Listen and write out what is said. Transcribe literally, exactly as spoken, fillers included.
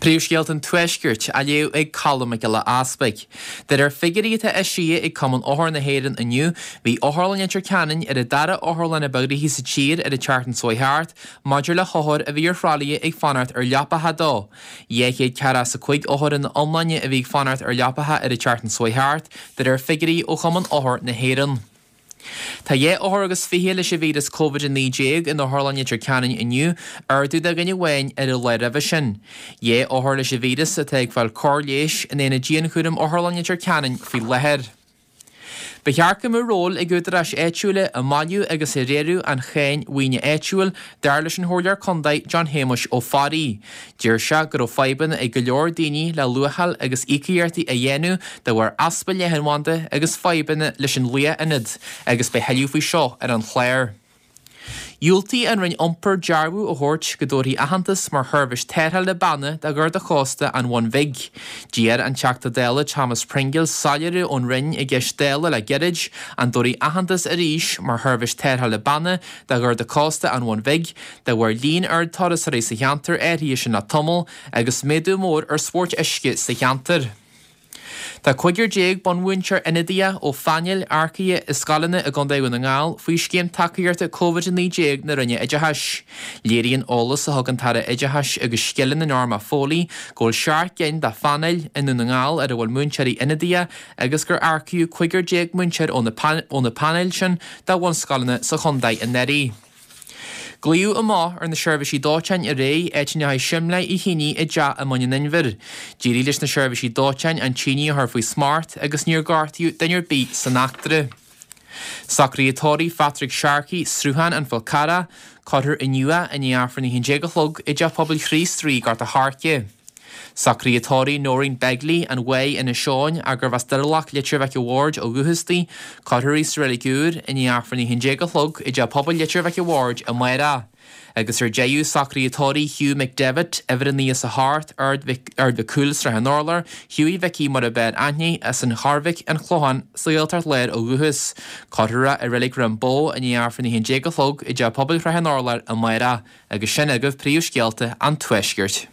Príomhscéalta an Tuaiscirt á léamh ag Colm Mac Giolla Easpaig. De réir figiúirí atá eisithe ag Cumann Othar na hÉireann inniu, bhí Otharlann Leitir Ceanainn ar an dara otharlann ab ghnoithí sa tír ar an tseachtain seo thart maidir le hothair a bhí ar thralaithe ag fanacht ar leapacha dó. Dhá chéad ceathracha is a cúig othar ina iomláine a bhí ag fanacht ar leapacha ar an tseachtain seo thart, de réir figiúirí ó Chumann Othar na hÉireann. Tá dhá othar agus fiche leis an víreas Covid a naoi déag in Otharlann Leitir Ceanainn inniu, ardú de dhuine amháin ar an lá roimhe sin. Dhá othar leis an víreas atá ag fáil cóir leighis in aonad dianchúraim Otharlann Leitir Ceanainn faoi láthair. Ba cheart go mbeadh ról ag údaráis áitiúla i mbailiú agus i riaradh an cháin mhaoine áitiúil, dar leis an Chomhairleoir Contae John Shéamuis Ó Fearraigh. Deir sé go raibh fadhbanna ag go leor daoine le luacháil agus íocaíochtaí a dhéanamh de bharr easpa leathanbhanda agus fadhbanna leis an luath-ionad agus beidh thuilleadh faoi seo ar an chlár. Dhiúltaigh an Roinn Iompair dearbhú a thabhairt go dtabharfaí aitheantas mar sheirbhís tarrthála banna do Gharda Chósta an Bhun Bhig. D'iarr an Teachta Dála Thomas Pringle soiléiriú ón Roinn i gceist Dála le gairid an dtabharfaí aitheantas arís mar sheirbhís tarrthála banna do Gharda Cósta an Bhun Bhig de bharr líon ard turasóirí sa cheantar áirithe sin le tamall agus méadú mór ar spóirt uisce sa cheantar. Tá cúigear déag bunmhúinteoir ionadaithe ó phainéil earcaithe i scoileanna i gContae Dhún na nGall faoi scéim tacaíochta Covid a naoi déag na Roinne Oideachais. Léiríonn eolas a thug an tAire Oideachais agus Scileanna Norma Foley go bhfuil seacht gcinn de phainéil i nDún na nGall ar a bhfuil múinteoirí ionadaithe agus gur earcaíodh cúigear déag múinteoir ó na painéil sin do bhunscoileanna sa chontae anuraidh. Glaodh amach ar na seirbhísí dóiteáin aréir áit a ndeachaigh simléar ar thine i dteach i mBun an Inbhir. D'éirigh leis na seirbhísí dóiteáin an tine a chur faoi smacht agus níor gortaíodh duine ar bith san eachtra. Socruithe tórraimh Phatrick Sharkey, Sruthán an Fhál Carrach, cuirfear inniu é i ndiaidh Aifreann a haon déag a chlog i dTeach Pobail Chríost Rí, Gort a' Choirce. Socruithe tórraimh Noreen Begley, an Mhaigh, Inis Eoghain, gurbh as Doirealach Leitir Mhic a' Bhaird ó dhúchas di, cuirfear í sa Reilig Úr i ndiaidh Aifreann a haon déag a chlog i dTeach Pobail Leitir Mhic a' Bhaird amárach. Agus ar deireadh, socruithe tórraimh Hugh McDevitt, uimhir a naoi is a hocht, Ard Mhic Cumhaill, Srath an Urláir, Hughie Mhicí mar ab fhearr aithne, as an Chorrmhic, an Clochán, sa Ghaeltacht Láir ó dhúchas. Cuirfear é i Reilig Dhroim Bó i ndiaidh Aifreann a haon déag a chlog i dTeach Pobail Shrath an Urláir amárach. Agus sin agaibh príomhscéalta an Tuaiscirt.